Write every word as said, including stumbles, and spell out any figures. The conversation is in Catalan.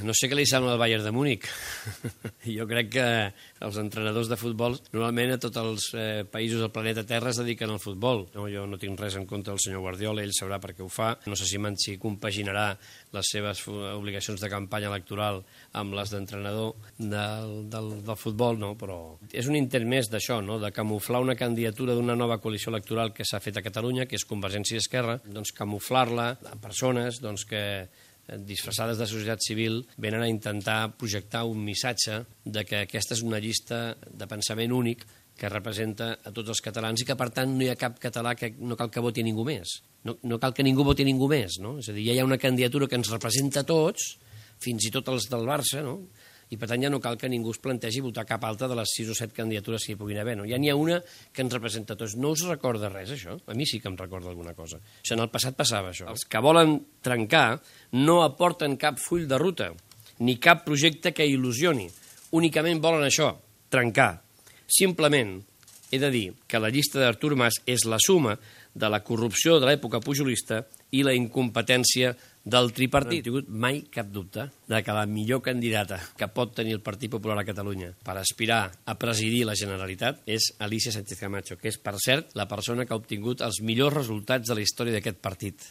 no sé què li sembla el Bayern de Múnich. Jo crec que els entrenadors de futbol, normalment a tots els eh, països del planeta Terra es dediquen al futbol. No, jo no tinc res en contra del senyor Guardiola, ell sabrà per què ho fa. No sé si Manchi compaginarà les seves obligacions de campanya electoral amb les d'entrenador del, del, del futbol, no? Però és un intent més d'això, no? De camuflar una candidatura d'una nova coalició electoral que s'ha fet a Catalunya, que és Convergència i Esquerra, doncs camuflar-la a persones doncs, que disfressades de societat civil venen a intentar projectar un missatge de que aquesta és una llista de pensament únic que representa a tots els catalans i que, per tant, no hi ha cap català que no cal que voti ningú més. No, no cal que ningú voti ningú més, no? És a dir, ja hi ha una candidatura que ens representa a tots, fins i tot els del Barça, no? I, per tant, ja no cal que ningú es plantegi votar cap altra de les sis o set candidatures que hi puguin haver. No? Ja n'hi ha una que ens representa a tots. No us recorda res, això? A mi sí que em recorda alguna cosa. Això en el passat passava, això. Els que volen trencar no aporten cap full de ruta, ni cap projecte que il·lusioni. Únicament volen això, trencar. Simplement he de dir que la llista d'Artur Mas és la suma de la corrupció de l'època pujolista i la incompetència del tripartit. No he tingut mai cap dubte de que la millor candidata que pot tenir el Partit Popular a Catalunya per aspirar a presidir la Generalitat és Alícia Sánchez Camacho, que és, per cert, la persona que ha obtingut els millors resultats de la història d'aquest partit.